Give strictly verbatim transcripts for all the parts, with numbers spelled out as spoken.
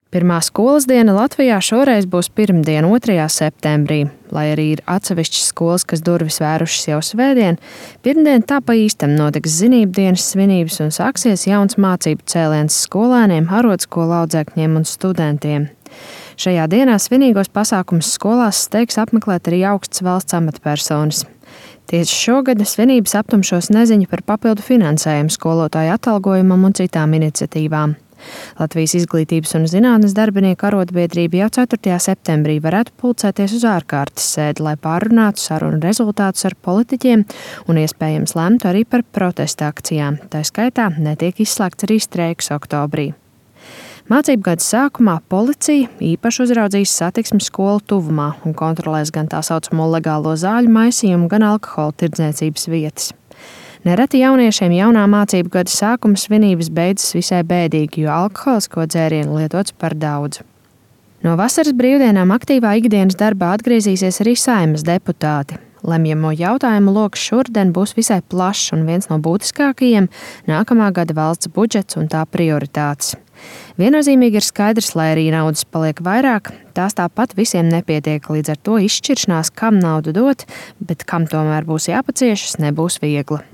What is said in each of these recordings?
Pirmā skolas diena Latvijā šoreiz būs pirmdien, otrajā septembrī. Lai arī ir atsevišķas skolas, kas durvis vērušas jau svētdien, pirmdien tā pa īstam notiks zinību dienas svinības un sāksies jauns mācību cēliens skolēniem, arotskolu audzēkņiem un studentiem. Šajā dienā svinīgos pasākumus skolās steigs apmeklēt arī augsts valsts amatpersonas. Tieši šogad svinības aptumšos neziņu par papildu finansējumu skolotāju atalgojumam un citām iniciatīvām. Latvijas izglītības un zinātnes darbinieku arotbiedrība jau ceturtajā septembrī varētu pulcēties uz ārkārtas sēdi, lai pārunātu sarunu rezultātus ar politiķiem un iespējams lemtu arī par protesta akcijām. Tā skaitā netiek izslēgts arī streiks oktobrī. Mācību gada sākumā policija īpaši uzraudzīs satiksmi skolu tuvumā un kontrolēs gan tā saucamo legālo zāļu maisījumu, gan alkohola tirdzniecības vietas. Nereti jauniešiem jaunā mācību gada sākuma svinības beidzas visai bēdīgi, jo alkoholisko dzērienu lietots par daudz. No vasaras brīvdienām aktīvā ikdienas darbā atgriezīsies arī Saeimas deputāti. Lemjamo jautājumu loks šodien būs visai plašs un viens no būtiskākajiem - nākamā gada valsts budžets un tā prioritātes. Viennozīmīgi ir skaidrs, lai arī naudas paliek vairāk, tās tāpat visiem nepietiek, līdz ar to izšķiršanās, kam naudu dot, bet kam tomēr būs jāpaciešas, nebūs viegla.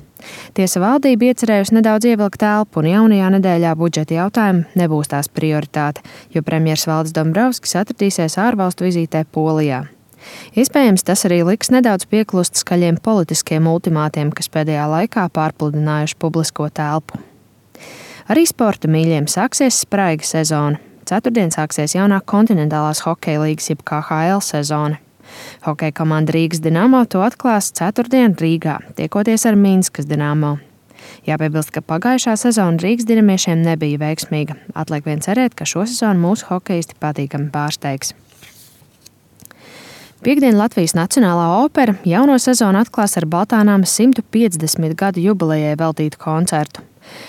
Tiesa valdība iecerējusi nedaudz ievilkt elpu, un jaunajā nedēļā budžeta jautājumi nebūs tās prioritāte, jo premjers Valdis Dombrovskis atradīsies ārvalstu vizītē Polijā. Iespējams, tas arī liks nedaudz pieklust skaļiem politiskiem ultimātiem, kas pēdējā laikā pārpludinājuši publisko telpu. Arī sporta mīļiem sāksies spraiga sezona. Ceturtdien sāksies jaunā kontinentālās hokeja līgas jeb K H L sezona. Hokeja komanda Rīgas Dinamo to atklās ceturtdien Rīgā, tiekoties ar Minskas Dinamo. Jāpiebilst, ka pagājušā sezona Rīgas dinamiešiem nebija veiksmīga. Atliek vien cerēt, ka šo sezonu mūsu hokeisti patīkami pārsteigs. Piektdien Latvijas Nacionālā opera jauno sezonu atklās ar Baltānāmas simt piecdesmit gadu jubilejai veltītu koncertu.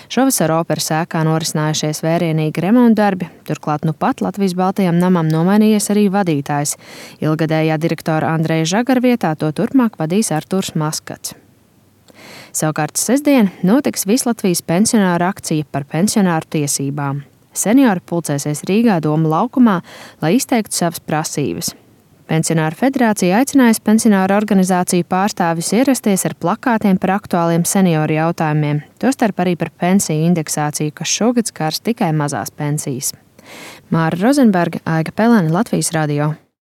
Šovasar operas ēkā norisinājušies vērienīgi remontdarbi, turklāt nu pat Latvijas Baltajam namam nomainījies arī vadītājs. Ilgadējā direktora Andreja Žagara vietā to turpmāk vadīs Artūrs Maskats. Savukārt sestdien notiks Vislatvijas pensionāru akcija par pensionāru tiesībām. Seniori pulcēsies Rīgā Doma laukumā, lai izteiktu savas prasības. Pensionāru federācija aicinājusi pensionāru organizāciju pārstāvjus ierasties ar plakātiem par aktuāliem senioru jautājumiem, tostarp arī par pensiju indeksāciju, kas šogad skars tikai mazās pensijas. Māra Rozenberga, Aiga Pelēne, Latvijas radio.